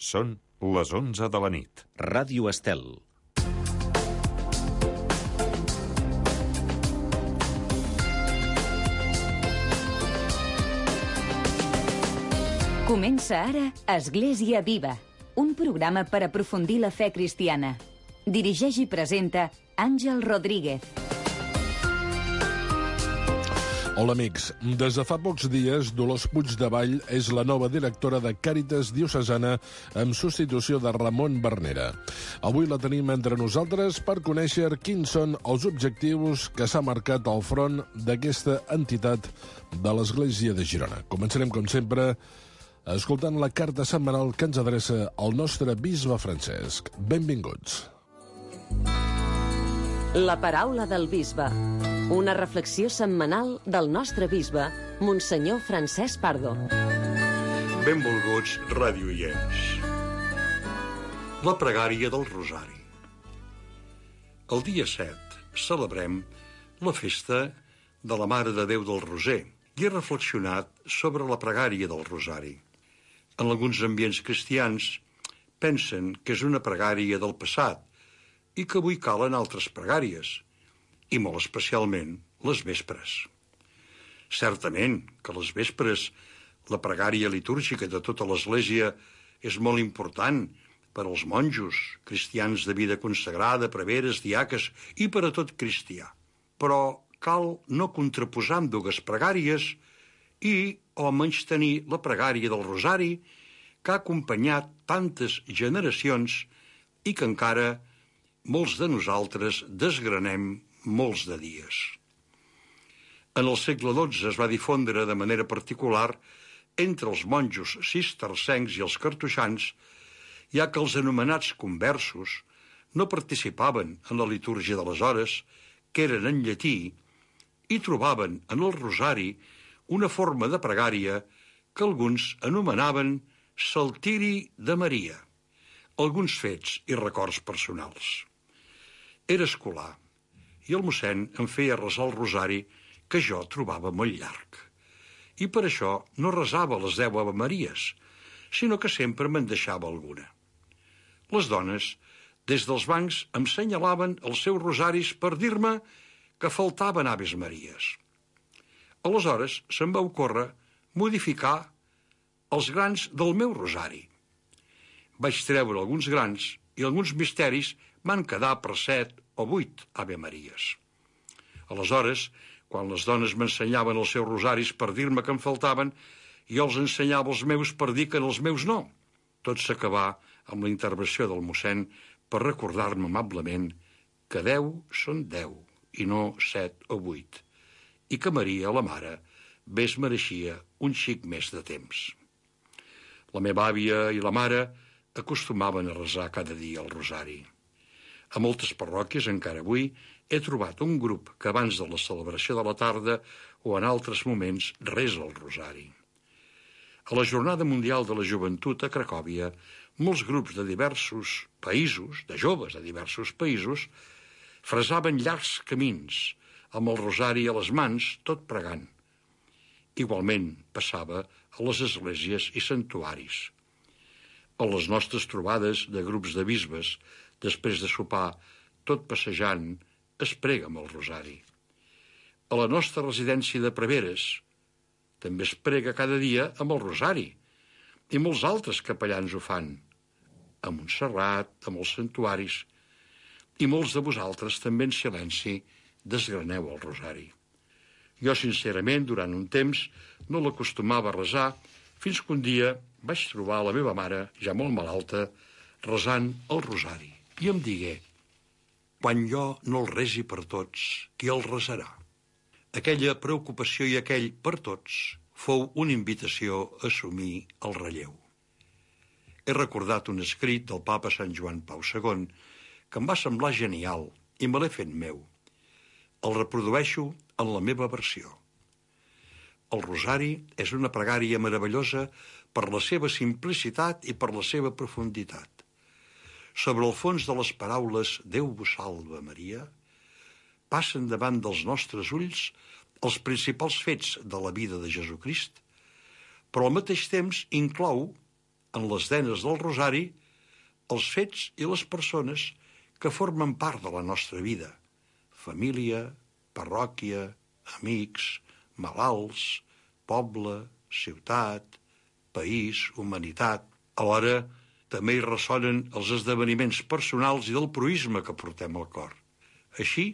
Són les 11 de la nit. Ràdio Estel. Comença ara Església Viva, un programa per aprofundir la fe cristiana. Dirigeix i presenta Àngel Rodríguez. Hola amics, des de fa pocs dies Dolors Puigdevall és la nova directora de Càritas Diocesana en substitució de Ramon Bernera. Avui la tenim entre nosaltres per conèixer quins són els objectius que s'ha marcat al front d'aquesta entitat de l'Església de Girona. Començarem, com sempre, escoltant la carta setmanal que ens adreça el nostre bisbe Francesc. Benvinguts. La paraula del bisbe. Una reflexió setmanal del nostre bisbe, Monsenyor Francesc Pardo. Benvolguts radioients. La pregària del Rosari. El dia 7 celebrem la festa de la Mare de Déu del Roser i he reflexionat sobre la pregària del Rosari. En alguns ambients cristians pensen que és una pregària del passat i que avui calen altres pregàries, i molt especialment les vespres. Certament que les vespres, la pregària litúrgica de tota l'Església és molt important per als monjos, cristians de vida consagrada, preveres, diaques i per a tot cristià. Però cal no contraposar amb dues pregàries i o menystenir la pregària del Rosari que ha acompanyat tantes generacions i que encara molts de nosaltres desgranem molts de dies. En el segle XII es va difondre de manera particular entre els monjos cistercencs i els cartoixans, ja que els anomenats conversos no participaven en la litúrgia de les hores, que eren en llatí, i trobaven en el Rosari una forma de pregària que alguns anomenaven saltiri de Maria, alguns fets i records personals. Era escolar, i el mossèn em feia resar el Rosari que jo trobava molt llarg. I per això no resava les 10 Ave Maries, sinó que sempre me'n deixava alguna. Les dones, des dels bancs, em senyalaven els seus rosaris per dir-me que faltaven Aves Maries. Aleshores se'm va ocórrer modificar els grans del meu rosari. Vaig treure alguns grans i alguns misteris van quedar per 7 o 8 Ave Maries. Aleshores, quan les dones m'ensenyaven els seus rosaris per dir-me que em faltaven, jo els ensenyava els meus per dir que els meus no. Tot s'acabà amb la intervenció del mossèn per recordar-me amablement que 10 són 10 i no 7 o 8, i que Maria, la mare, bé es mereixia un xic més de temps. La meva àvia i la mare acostumaven a resar cada dia el rosari. A moltes parròquies, encara avui, he trobat un grup que abans de la celebració de la tarda o en altres moments resa el rosari. A la Jornada Mundial de la Joventut a Cracòvia, molts grups de diversos països, de joves de diversos països, fresaven llargs camins amb el rosari a les mans, tot pregant. Igualment passava a les esglésies i santuaris. A les nostres trobades de grups de bisbes, després de sopar, tot passejant, es prega amb el rosari. A la nostra residència de preveres també es prega cada dia amb el rosari, i molts altres capellans ho fan, a Montserrat, amb els santuaris, i molts de vosaltres també en silenci desgraneu el rosari. Jo, sincerament, durant un temps no l'acostumava a resar, fins que un dia vaig trobar la meva mare, ja molt malalta, resant el rosari. I em digué: quan jo no el resi per tots, qui el resarà? Aquella preocupació i aquell per tots fou una invitació a assumir el relleu. He recordat un escrit del papa Sant Joan Pau II que em va semblar genial i me l'he fet meu. El reprodueixo en la meva versió. El rosari és una pregària meravellosa per la seva simplicitat i per la seva profunditat. Sobre el fons de les paraules «Déu vos salva, Maria», passen davant dels nostres ulls els principals fets de la vida de Jesucrist, però al mateix temps inclou en les denes del rosari els fets i les persones que formen part de la nostra vida: família, parròquia, amics, malalts, poble, ciutat, país, humanitat. Alhora, també hi ressonen els esdeveniments personals i del proïsme que portem al cor. Així,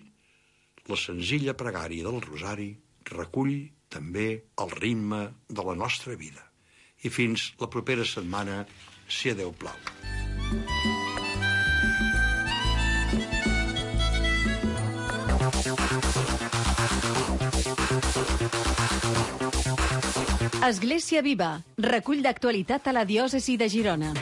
la senzilla pregària del rosari recull també el ritme de la nostra vida. I fins la propera setmana, si a Déu plau. Església Viva, recull d'actualitat a la diòcesi de Girona.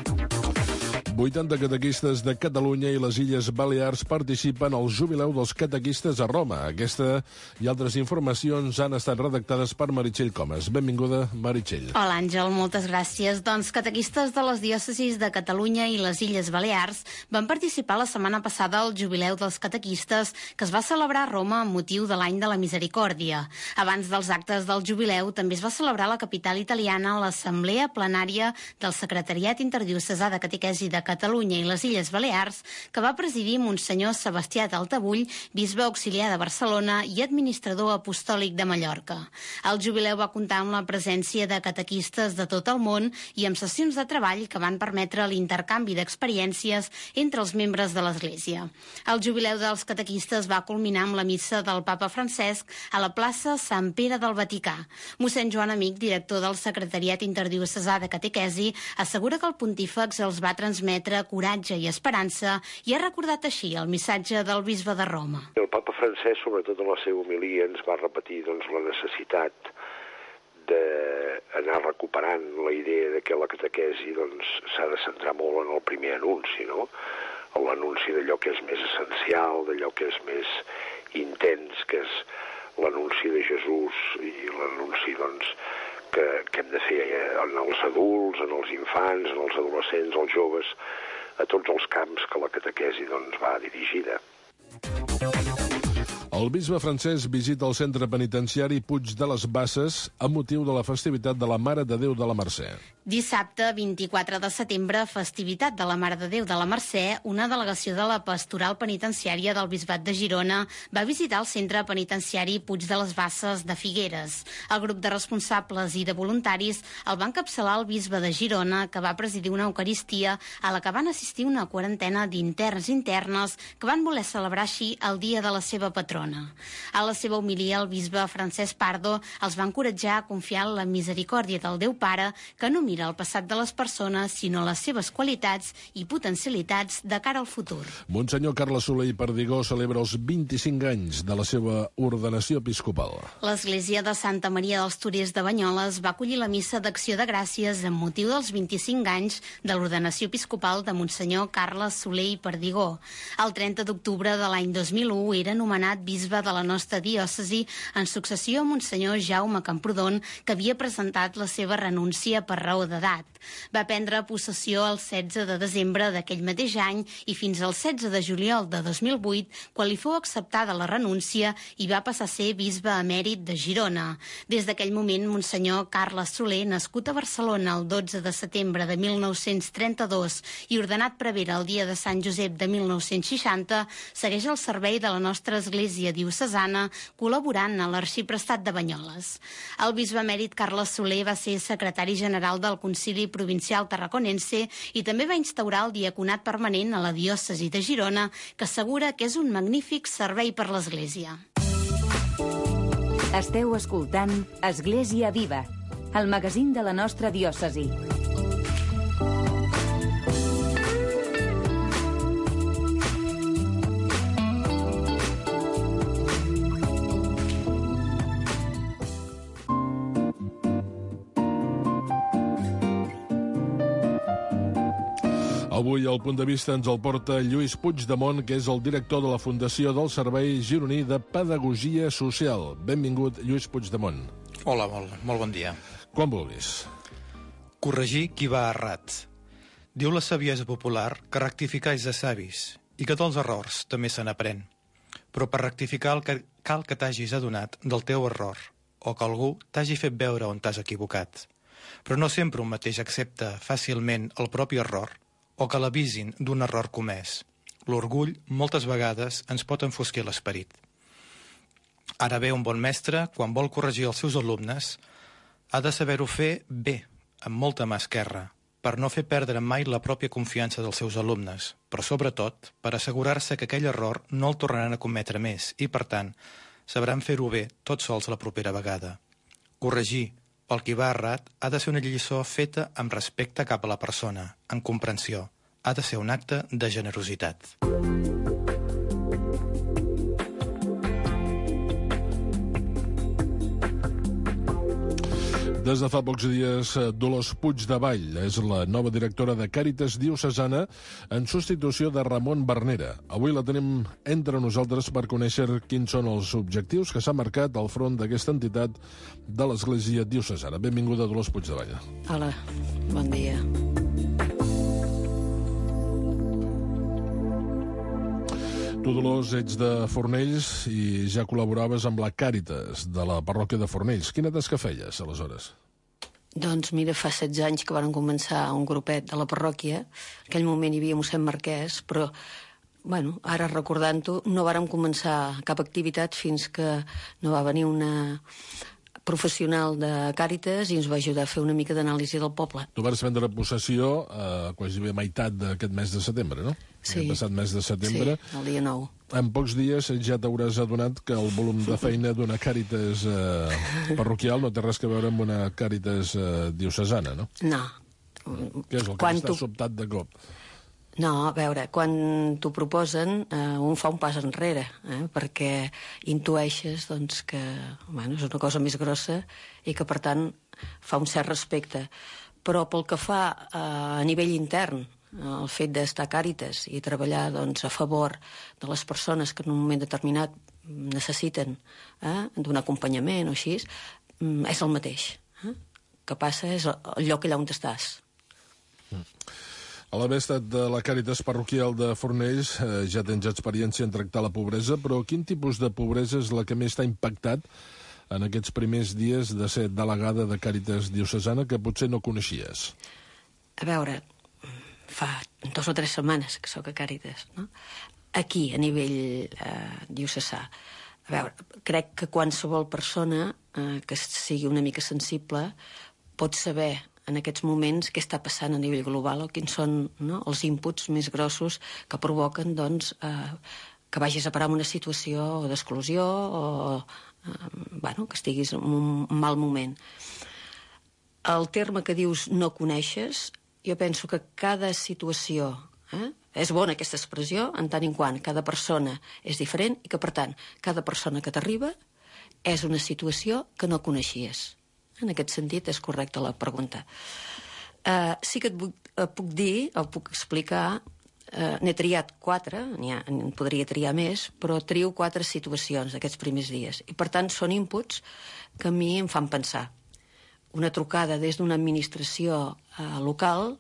80 catequistes de Catalunya i les Illes Balears participen al Jubileu dels Catequistes a Roma. Aquesta i altres informacions han estat redactades per Meritxell Comas. Benvinguda, Meritxell. Hola, Àngel, moltes gràcies. Doncs catequistes de les diòcesis de Catalunya i les Illes Balears van participar la setmana passada al Jubileu dels Catequistes que es va celebrar a Roma amb motiu de l'any de la Misericòrdia. Abans dels actes del Jubileu també es va celebrar a la capital italiana l'Assemblea Plenària del Secretariat Interdiocesà de Catequesi de Catalunya i les Illes Balears, que va presidir Monsenyor Sebastià d'Altabull, bisbe auxiliar de Barcelona i administrador apostòlic de Mallorca. El jubileu va comptar amb la presència de catequistes de tot el món i amb sessions de treball que van permetre l'intercanvi d'experiències entre els membres de l'Església. El jubileu dels catequistes va culminar amb la missa del Papa Francesc a la plaça Sant Pere del Vaticà. Mossèn Joan Amic, director del Secretariat Interdiocesà de Catequesi, assegura que el pontífex els va transmetre coratge i esperança i ha recordat així el missatge del bisbe de Roma. El papa Francesc, sobretot en la seva homilia, ens va repetir la necessitat d'anar recuperant la idea de que la catequesi s'ha de centrar molt en el primer anunci, no? En l'anunci d'allò que és més essencial, d'allò que és més intens, que és l'anunci de Jesús i l'anunci, que hem de fer en els adults, en els infants, en els adolescents, els joves, a tots els camps que la catequesi va dirigida. El bisbe Francesc visita el centre penitenciari Puig de les Basses amb motiu de la festivitat de la Mare de Déu de la Mercè. Dissabte, 24 de setembre, festivitat de la Mare de Déu de la Mercè, una delegació de la Pastoral Penitenciària del Bisbat de Girona va visitar el centre penitenciari Puig de les Basses de Figueres. El grup de responsables i de voluntaris el va encapçalar el bisbe de Girona, que va presidir una eucaristia a la que van assistir una quarantena d'interns i internes que van voler celebrar així el dia de la seva patrona. A la seva homilia, el bisbe Francesc Pardo els va encoratjar a confiar en la misericòrdia del Déu Pare, que no mira el passat de les persones, sinó les seves qualitats i potencialitats de cara al futur. Monsenyor Carles Soler i Perdigó celebra els 25 anys de la seva ordenació episcopal. L'Església de Santa Maria dels Torers de Banyoles va acollir la missa d'acció de gràcies amb motiu dels 25 anys de l'ordenació episcopal de Monsenyor Carles Soler i Perdigó. El 30 d'octubre de l'any 2001 era nomenat bisbe de la nostra diòcesi en successió a Monsenyor Jaume Camprodon, que havia presentat la seva renúncia per raó d'edat. Va prendre possessió el 16 de desembre d'aquell mateix any i fins al 16 de juliol de 2008, quan li fou acceptada la renúncia i va passar a ser bisbe emèrit de Girona. Des d'aquell moment, Monsenyor Carles Soler, nascut a Barcelona el 12 de setembre de 1932 i ordenat prevere el dia de Sant Josep de 1960, segueix al servei de la nostra Església diocesana, col·laborant a l'Arxiprestat de Banyoles. El bisbe emèrit Carles Soler va ser secretari general del Concili Provincial Tarraconense i també va instaurar el diaconat permanent a la diòcesi de Girona, que assegura que és un magnífic servei per l'Església. Esteu escoltant Església Viva, el magazín de la nostra diòcesi. Avui el punt de vista ens el porta Lluís Puigdemont, que és el director de la Fundació del Servei Gironí de Pedagogia Social. Benvingut, Lluís Puigdemont. Hola, molt bon dia. Quan vulguis. Corregir qui va errat. Diu la saviesa popular que rectificar és de savis i que dels errors també se n'aprèn. Però per rectificar cal que t'hagis adonat del teu error o que algú t'hagi fet veure on t'has equivocat. però no sempre un mateix accepta fàcilment el propi error o que l'avisin d'un error comès. L'orgull, moltes vegades, ens pot enfosquir l'esperit. Ara bé, un bon mestre, quan vol corregir els seus alumnes, ha de saber-ho fer bé, amb molta mà esquerra, per no fer perdre mai la pròpia confiança dels seus alumnes, però sobretot per assegurar-se que aquell error no el tornaran a cometre més i, per tant, sabran fer-ho bé tots sols la propera vegada. Corregir pel qui va errat ha de ser una lliçó feta amb respecte cap a la persona, en comprensió. Ha de ser un acte de generositat. Des de fa pocs dies, Dolors Puigdevall és la nova directora de Càritas Diocesana en substitució de Ramon Bernera. Avui la tenim entre nosaltres per conèixer quins són els objectius que s'ha marcat al front d'aquesta entitat de l'Església Diocesana. Benvinguda, Dolors Puigdevall. Hola, bon dia. Tu, Dolors, ets de Fornells i ja col·laboraves amb la Càritas de la parròquia de Fornells. Quina tasca feies, aleshores? Doncs mira, fa 16 anys que varen començar un grupet de la parròquia. En aquell moment hi havia mossèn Marquès, però bueno, ara recordant-ho, no vàrem començar cap activitat fins que no va venir una professional de Càritas i ens va ajudar a fer una mica d'anàlisi del poble. Tu vas prendre possessió quasi bé meitat d'aquest mes de setembre, no? Sí. El passat mes de setembre. Sí, el dia 9. En pocs dies ja t'hauràs adonat que el volum de feina d'una Càritas parroquial no té res a veure amb una Càritas diocesana, no? No. Què és el que t'està sobtat de cop? No, a veure, quan t'ho proposen, un fa un pas enrere, perquè intueixes doncs, que bueno, és una cosa més grossa i que, per tant, fa un cert respecte. Però pel que fa a nivell intern, el fet d'estar a Càritas i treballar doncs, a favor de les persones que en un moment determinat necessiten d'un acompanyament o així, és el mateix. El que passa és el lloc allà on estàs. A l'haver estat de la Càritas parroquial de Fornells, ja tens experiència en tractar la pobresa, però quin tipus de pobresa és la que més t'ha impactat en aquests primers dies de ser delegada de Càritas diocesana que potser no coneixies? A veure, fa 2 o 3 setmanes que sóc a Càritas, no? Aquí, a nivell diocesà. A veure, crec que qualsevol persona que sigui una mica sensible pot saber en aquests moments què està passant a nivell global o quins són els inputs més grossos que provoquen doncs, que vagis a parar en una situació d'exclusió o que estiguis en un mal moment. El terme que dius no coneixes, jo penso que cada situació, és bona aquesta expressió, en tant en quant cada persona és diferent i que, per tant, cada persona que t'arriba és una situació que no coneixies. En aquest sentit, és correcta la pregunta. Sí que et puc dir, o puc explicar, n'he triat 4, en podria triar més, però trio 4 situacions d'aquests primers dies. I, per tant, són inputs que a mi em fan pensar. Una trucada des d'una administració local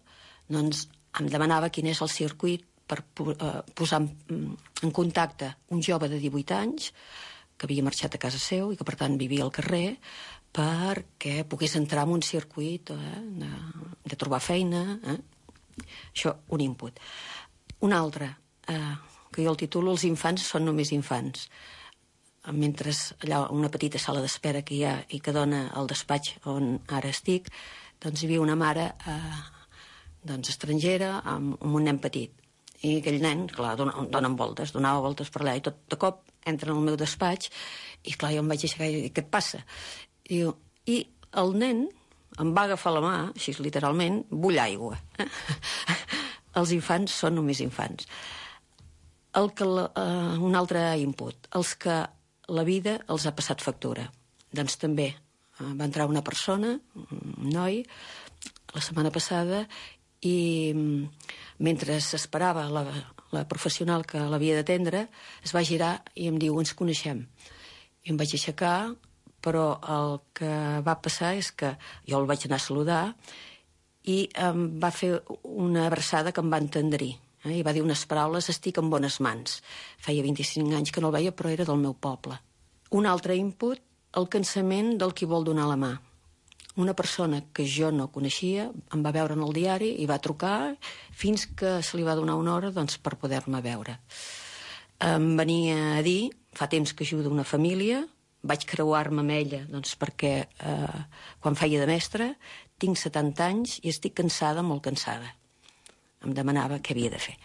doncs, em demanava quin és el circuit per posar en contacte un jove de 18 anys que havia marxat a casa seu i que, per tant, vivia al carrer, perquè pogués entrar en un circuit de trobar feina. Això, un input. Un altre, que jo el titulo Els infants són només infants. Mentre allà una petita sala d'espera que hi ha i que dona al despatx on ara estic, doncs hi havia una mare estrangera amb un nen petit. I aquell nen, clar, donava voltes per allà, i tot de cop entra en el meu despatx i, clar, jo em vaig aixecar i dic, què et passa? I el nen em va agafar la mà, així literalment, vull aigua. Els infants són només infants. Un altre input, els que la vida els ha passat factura. Doncs també va entrar una persona, un noi, la setmana passada, i mentre s'esperava la professional que l'havia d'atendre, es va girar i em diu, ens coneixem. I em vaig aixecar, però el que va passar és que jo el vaig anar a saludar i em va fer una abraçada que em va entendrir. I va dir unes paraules, estic en bones mans. Feia 25 anys que no el veia, però era del meu poble. Un altre input, el cansament del qui vol donar la mà. una persona que jo no coneixia em va veure en el diari i va trucar fins que se li va donar una hora doncs, per poder-me veure. Em venia a dir, fa temps que ajudo una família, vaig creuar-me amb ella doncs, perquè quan feia de mestra tinc 70 anys i estic cansada, molt cansada. Em demanava què havia de fer.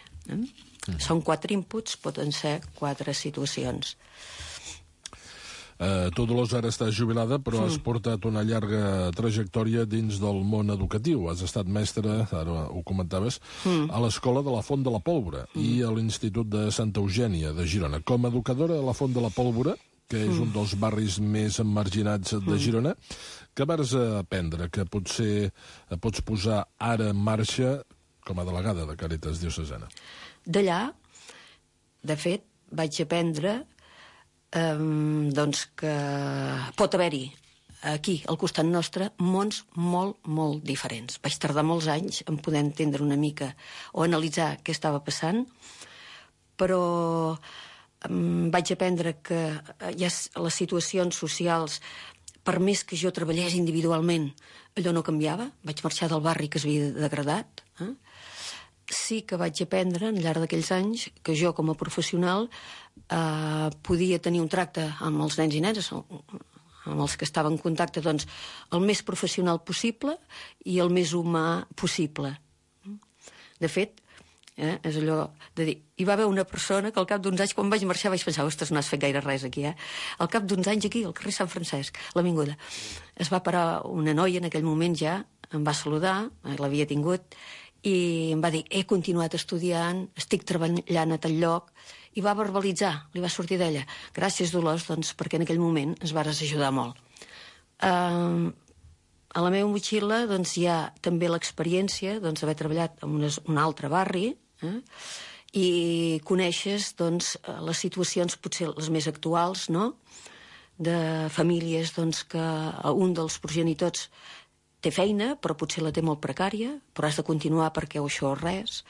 Són 4 inputs, poden ser 4 situacions. Tu, Dolors, ara estàs jubilada, però has portat una llarga trajectòria dins del món educatiu. Has estat mestra, ara ho comentaves, a l'Escola de la Font de la Pólvora i a l'Institut de Santa Eugènia de Girona. Com a educadora a la Font de la Pólvora, que és un dels barris més emarginats de Girona, què vas aprendre que potser pots posar ara en marxa com a delegada de Càritas Diocesana? D'allà, de fet, vaig aprendre doncs que pot haver-hi aquí, al costat nostre, mons molt, molt diferents. Vaig tardar molts anys en poder entendre una mica o analitzar què estava passant, però vaig aprendre que ja les situacions socials, per més que jo treballés individualment, allò no canviava. Vaig marxar del barri que s'havia degradat. Sí que vaig aprendre, al llarg d'aquells anys, que jo, com a professional, podia tenir un tracte amb els nens i nenes, amb els que estava en contacte, doncs, el més professional possible i el més humà possible. De fet, és allò de dir, hi va haver una persona que al cap d'uns anys, quan vaig marxar, vaig pensar, ostres, no has fet gaire res aquí, Al cap d'uns anys aquí, al carrer Sant Francesc, l'Avinguda, es va parar una noia, en aquell moment ja, em va saludar, l'havia tingut, i em va dir, he continuat estudiant, estic treballant a tal lloc, i va verbalitzar, li va sortir d'ella. Gràcies, Dolors, doncs, perquè en aquell moment ens vares ajudar molt. A la meva motxilla doncs, hi ha també l'experiència d'haver treballat en un altre barri, i coneixes doncs, les situacions potser les més actuals, no?, de famílies doncs, que un dels progenitors té feina, però potser la té molt precària, però has de continuar perquè això res,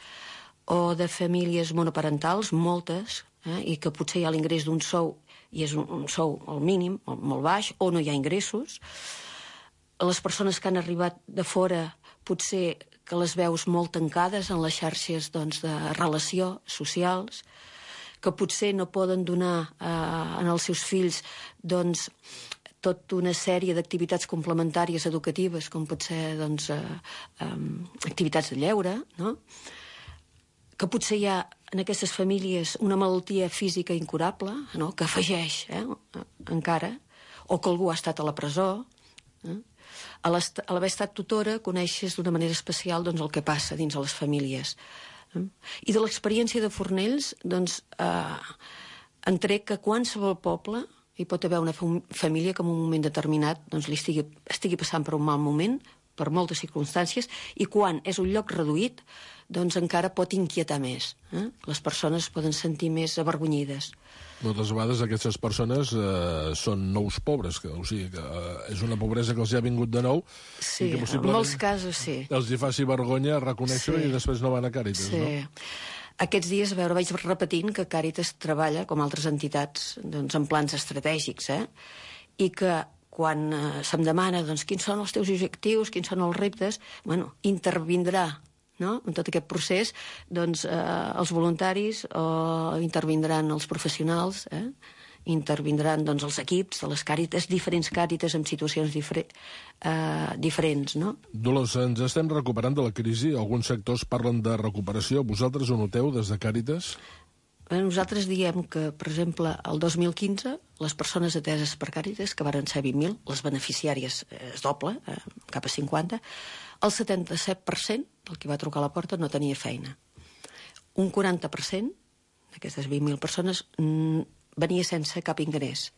o de famílies monoparentals, moltes, i que potser hi ha l'ingrés d'un sou, i és un sou al mínim, molt baix, o no hi ha ingressos. Les persones que han arribat de fora, potser que les veus molt tancades en les xarxes doncs, de relació socials, que potser no poden donar als seus fills doncs, tota una sèrie d'activitats complementàries educatives, com pot ser doncs, activitats de lleure, no?, que potser hi ha en aquestes famílies una malaltia física incurable, no?, que afegeix encara, o que algú ha estat a la presó. A l'haver estat tutora coneixes d'una manera especial doncs, el que passa dins de les famílies. I de l'experiència de Fornells doncs, en trec que qualsevol poble hi pot haver una família que en un moment determinat doncs, li estigui passant per un mal moment, per moltes circumstàncies, i quan és un lloc reduït, doncs encara pot inquietar més. Les persones poden sentir més avergonyides. Moltes vegades aquestes persones són nous pobres, o sigui que és una pobresa que els ha vingut de nou. Sí, i que en molts casos sí. Els hi faci vergonya reconèixer i després no van a Càritas, sí. No? Aquests dies, a veure, vaig repetint que Càritas treballa, com altres entitats, doncs, en plans estratègics, i que quan se'm demana doncs, quins són els teus objectius, quins són els reptes, bueno, intervindrà, no?, en tot aquest procés doncs, els voluntaris o intervindran els professionals, intervindran doncs, els equips de les Càritas, diferents Càritas amb situacions diferents, no? Dolors, ens estem recuperant de la crisi, alguns sectors parlen de recuperació, vosaltres ho noteu des de Càritas? Nosaltres diem que, per exemple, el 2015, les persones ateses per Càritas, que varen ser 20.000, les beneficiàries es doble, cap a 50, el 77% del que va trucar a la porta no tenia feina. Un 40% d'aquestes 20.000 persones venia sense cap ingrés.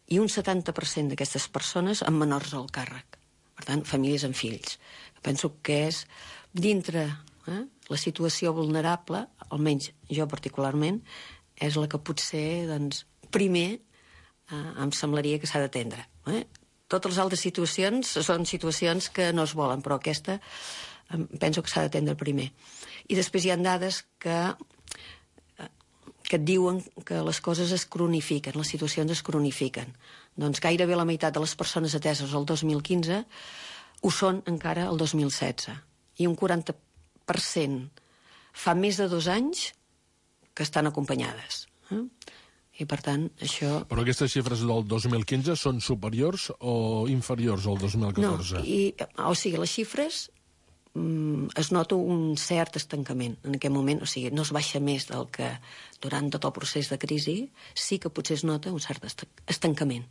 I un 70% d'aquestes persones amb menors al càrrec. Per tant, famílies amb fills. Penso que és dintre la situació vulnerable, almenys jo particularment, és la que potser doncs, primer em semblaria que s'ha d'atendre. Totes les altres situacions són situacions que no es volen, però aquesta penso que s'ha d'atendre primer. I després hi ha dades que et diuen que les coses es cronifiquen, les situacions es cronifiquen. Doncs gairebé la meitat de les persones ateses el 2015 ho són encara el 2016. I un 40% fa més de 2 anys que estan acompanyades. I, per tant, això... Però aquestes xifres del 2015 són superiors o inferiors al 2014? No, o sigui, les xifres es nota un cert estancament en aquest moment, o sigui, no es baixa més del que durant tot el procés de crisi, sí que potser es nota un cert estancament.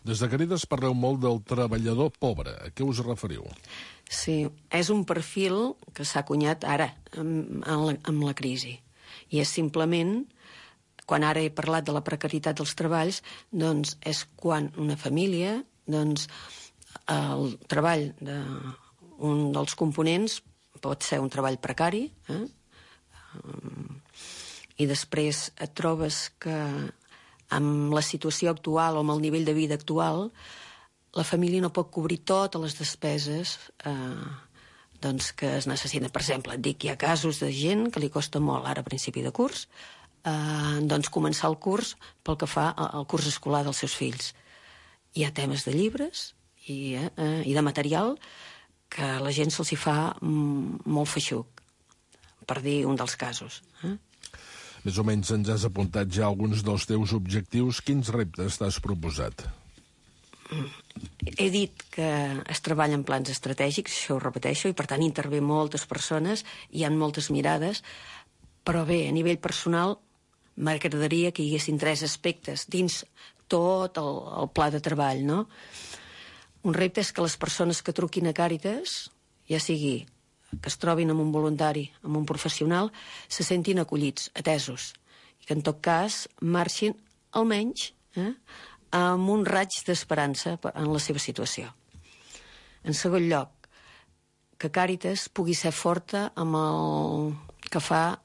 Des de Càritas parleu molt del treballador pobre. A què us referiu? Sí, és un perfil que s'ha acunyat ara, amb la crisi. I és simplement, quan ara he parlat de la precarietat dels treballs, doncs és quan una família, doncs el treball un dels components pot ser un treball precari, i després et trobes que amb la situació actual o amb el nivell de vida actual la família no pot cobrir totes les despeses doncs que es necessiten. Per exemple, et dic, hi ha casos de gent que li costa molt, ara a principi de curs, doncs començar el curs pel que fa al curs escolar dels seus fills. Hi ha temes de llibres i de material que a la gent se'ls hi fa molt feixuc, per dir un dels casos. Més o menys ens has apuntat ja alguns dels teus objectius. Quins reptes t'has proposat? He dit que es treballa en plans estratègics, això ho repeteixo, i per tant intervé moltes persones, hi ha moltes mirades, però bé, a nivell personal m'agradaria que hi haguessin 3 aspectes dins tot el pla de treball, no? Un repte és que les persones que truquin a Càritas, ja sigui que es trobin amb un voluntari, amb un professional, se sentin acollits, atesos, i que en tot cas marxin almenys amb un raig d'esperança en la seva situació. En segon lloc, que Càritas pugui ser forta amb el que fa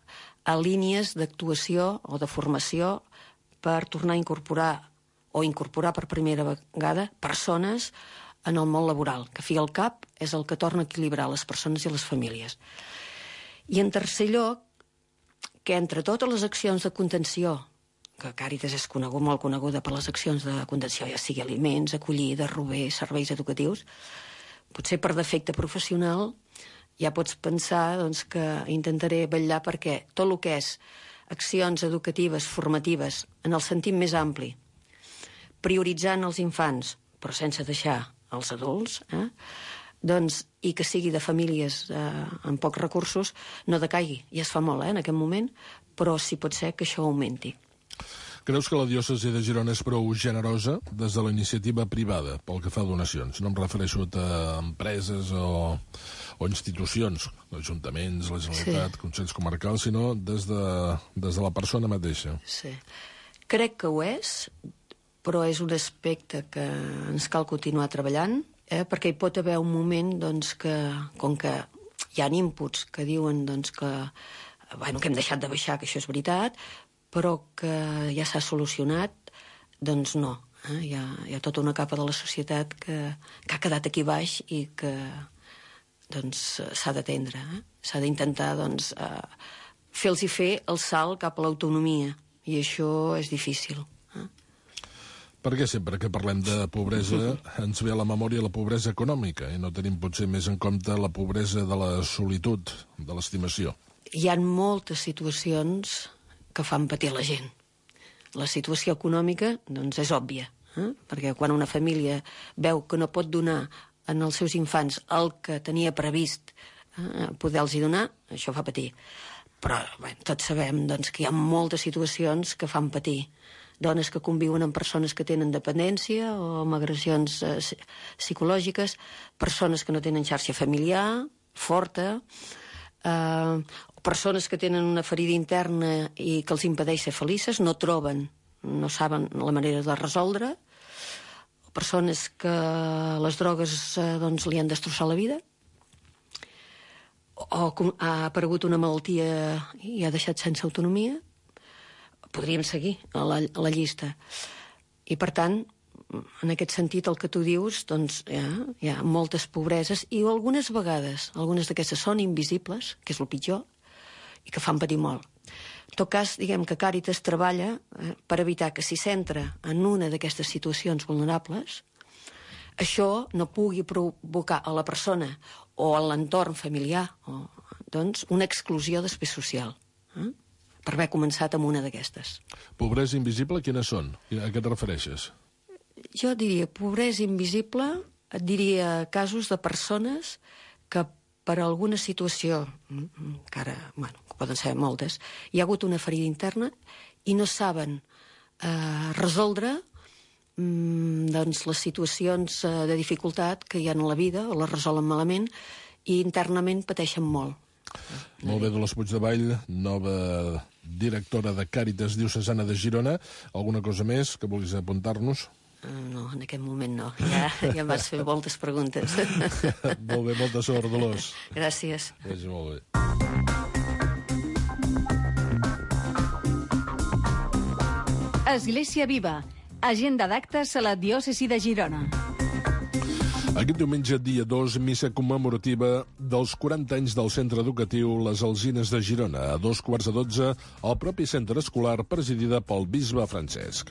a línies d'actuació o de formació per tornar a incorporar per primera vegada persones en el món laboral, que fi al cap és el que torna a equilibrar les persones i les famílies. I en tercer lloc, que entre totes les accions de contenció, que Càritas és molt coneguda per les accions de contenció, ja sigui aliments, acollida, rober, serveis educatius, potser per defecte professional ja pots pensar doncs, que intentaré vetllar perquè tot el que és accions educatives, formatives, en el sentit més ampli, prioritzant els infants, però sense deixar els adults, doncs, i que sigui de famílies amb pocs recursos, no decaigui. Ja es fa molt en aquest moment, però sí pot ser que això augmenti. Creus que la diòcesi de Girona és prou generosa des de la iniciativa privada pel que fa a donacions? No em refereixo a empreses o institucions, ajuntaments, la Generalitat, consells comarcals, sinó des de la persona mateixa. Sí. Crec que ho és, però és un aspecte que ens cal continuar treballant, perquè hi pot haver un moment doncs, que, com que hi ha inputs que diuen doncs, que hem deixat de baixar, que això és veritat, però que ja s'ha solucionat, doncs no. Hi ha tota una capa de la societat que ha quedat aquí baix i que s'ha d'atendre. S'ha d'intentar fer-los fer el salt cap a l'autonomia, i això és difícil. Perquè sempre que parlem de pobresa ens ve a la memòria la pobresa econòmica i no tenim potser més en compte la pobresa de la solitud, de l'estimació. Hi ha moltes situacions que fan patir la gent. La situació econòmica doncs, és òbvia, perquè quan una família veu que no pot donar als seus infants el que tenia previst poder-los donar, això fa patir. Però tots sabem doncs, que hi ha moltes situacions que fan patir. Dones que conviuen amb persones que tenen dependència o amb agressions psicològiques, persones que no tenen xarxa familiar forta, persones que tenen una ferida interna i que els impedeix ser felices, no saben la manera de resoldre, persones que les drogues doncs, li han destrossat la vida, o ha aparegut una malaltia i ha deixat sense autonomia. Podríem seguir a la llista. I, per tant, en aquest sentit, el que tu dius, doncs, hi ha moltes pobreses i algunes vegades, algunes d'aquestes són invisibles, que és el pitjor, i que fan patir molt. En tot cas, diguem que Càritas treballa per evitar que si s'entra en una d'aquestes situacions vulnerables, això no pugui provocar a la persona o a l'entorn familiar doncs, una exclusió després social, per haver començat amb una d'aquestes. Pobresa invisible, quines són? A què et refereixes? Jo diria pobresa invisible, et diria casos de persones que per alguna situació, que ara, que poden ser moltes, hi ha hagut una ferida interna i no saben resoldre doncs, les situacions de dificultat que hi ha en la vida, o les resolen malament, i internament pateixen molt. Molt bé, Dolors Puigdevall, nova directora de Càritas Diocesana de Girona. Alguna cosa més que vulguis apuntar-nos? No, en aquest moment no. Ja em vas fer moltes preguntes. Molt bé, molta sort, Dolors. Gràcies. Vagi molt bé. Església Viva. Agenda d'actes a la diòcesi de Girona. Aquest diumenge, dia 2, missa commemorativa dels 40 anys del centre educatiu Les Alzines de Girona, a 2:15 al propi centre escolar presidida pel bisbe Francesc.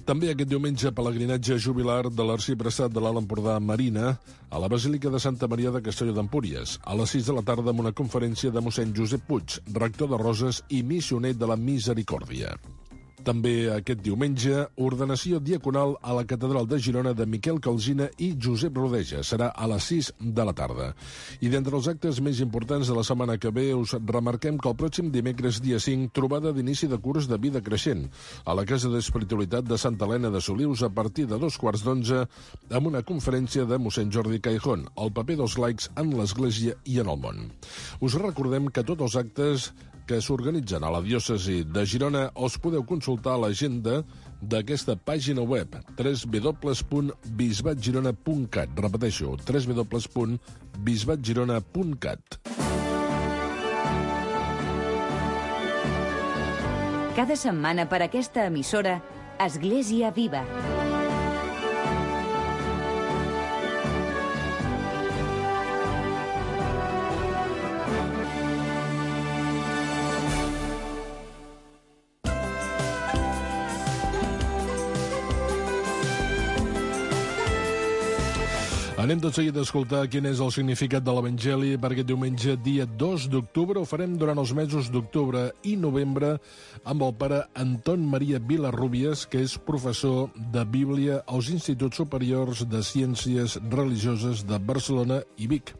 També aquest diumenge, pelegrinatge jubilar de l'arxiprestat de l'Alt Empordà Marina a la Basílica de Santa Maria de Castelló d'Empúries, a les 6 de la tarda amb una conferència de mossèn Josep Puig, rector de Roses i missioner de la Misericòrdia. També aquest diumenge, ordenació diaconal a la Catedral de Girona de Miquel Calsina i Josep Rodeja. Serà a les 6 de la tarda. I d'entre els actes més importants de la setmana que ve, us remarquem que el pròxim dimecres, dia 5, trobada d'inici de curs de vida creixent a la Casa d'Espiritualitat de Santa Helena de Solius a partir de 2:15 amb una conferència de mossèn Jordi Caijón, el paper dels laics en l'Església i en el món. Us recordem que tots els actes que s'organitzen a la diòcesi de Girona els podeu consultar a l'agenda d'aquesta pàgina web www.bisbatgirona.cat. Repeteixo, www.bisbatgirona.cat. Cada setmana per aquesta emissora, Església Viva. Anem tot seguit a escoltar quin és el significat de l'Evangeli per aquest diumenge, dia 2 d'octubre. Ho farem durant els mesos d'octubre i novembre amb el pare Anton Maria Vilarrubias, que és professor de Bíblia als Instituts Superiors de Ciències Religioses de Barcelona i Vic.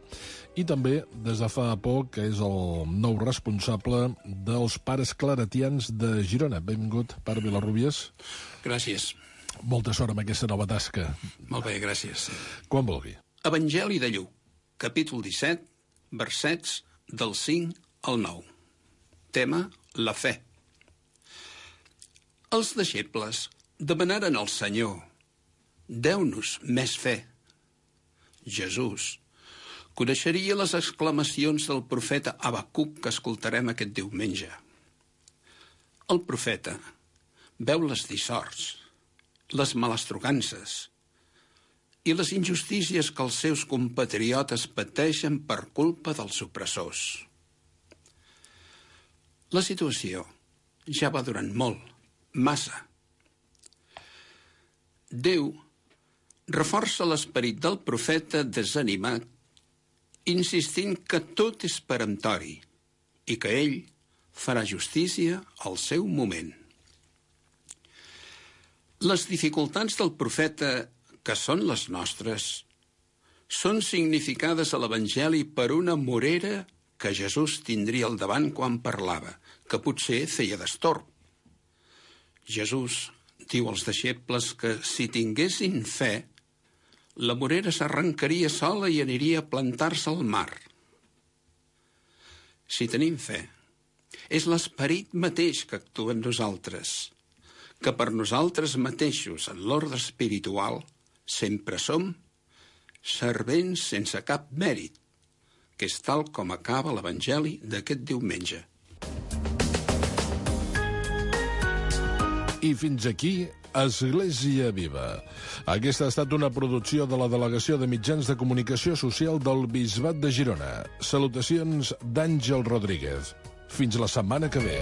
I també, des de fa poc, que és el nou responsable dels pares claretians de Girona. Benvingut, pare Vilarrubias. Gràcies. Molta sort amb aquesta nova tasca. Molt bé, gràcies. Quan vulgui. Evangeli de Lluc, capítol 17, versets del 5 al 9. Tema, la fe. Els deixebles demanaren al Senyor: deu-nos més fe. Jesús coneixeria les exclamacions del profeta Habacuc que escoltarem aquest diumenge. El profeta veu les dissorts, les malastrugances i les injustícies que els seus compatriotes pateixen per culpa dels opressors. La situació ja va durant molt, massa. Déu reforça l'esperit del profeta desanimat, insistint que tot és peremptori i que ell farà justícia al seu moment. Les dificultats del profeta, que són les nostres, són significades a l'Evangeli per una morera que Jesús tindria al davant quan parlava, que potser feia d'estorb. Jesús diu als deixebles que si tinguessin fe, la morera s'arrencaria sola i aniria a plantar-se al mar. Si tenim fe, és l'esperit mateix que actua en nosaltres, que per nosaltres mateixos en l'ordre espiritual sempre som servents sense cap mèrit, que és tal com acaba l'Evangeli d'aquest diumenge. I fins aquí, Església Viva. Aquesta ha estat una producció de la Delegació de Mitjans de Comunicació Social del Bisbat de Girona. Salutacions d'Àngel Rodríguez. Fins la setmana que ve.